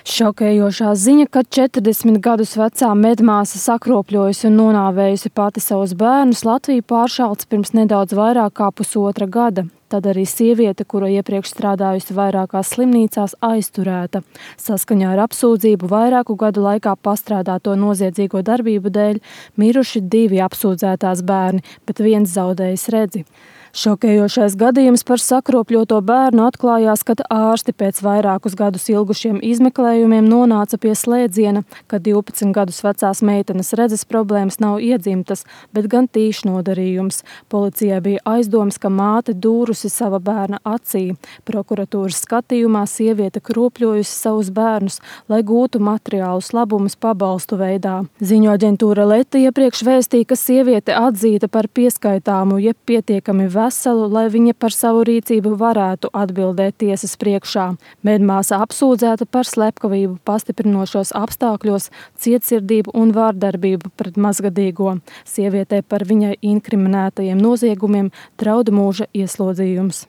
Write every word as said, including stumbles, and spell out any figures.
Šokējošā ziņa, ka četrdesmit gadus vecā medmāsa sakropļojusi un nonāvējusi pati savus bērnus, Latviju pāršālts pirms nedaudz vairāk kā pusotra gada. Tad arī sieviete, kura iepriekš strādājusi vairākās slimnīcās, aizturēta. Saskaņā ar apsūdzību vairāku gadu laikā pastrādāto noziedzīgo darbību dēļ miruši divi apsūdzētās bērni, bet viens zaudējis redzi. Šokējošais gadījums par sakropļoto bērnu atklājās, kad ārsti pēc vairākus gadus ilgušiem izmeklējumiem nonāca pie slēdziena, ka divpadsmit gadus vecās meitenes redzes problēmas nav iedzimtas, bet gan tīšs nodarījums. Policijai bija aizdomas, ka māte dūrusi sava bērna acī. Prokuratūras skatījumā sieviete kropļojusi savus bērnus, lai gūtu materiālus labumus pabalstu veidā. Ziņu aģentūra Leta iepriekš vēstīja, ka sieviete atzīta par pieskaitāmu, jeb pietiekami veselu, lai viņa par savu rīcību varētu atbildēt tiesas priekšā. Medmāsa apsūdzēta par slepkavību pastiprinošos apstākļos, cietsirdību un vārdarbību pret mazgadīgo. Sievietei par viņai inkriminētajiem noziegumiem draud mūža ieslodzījums.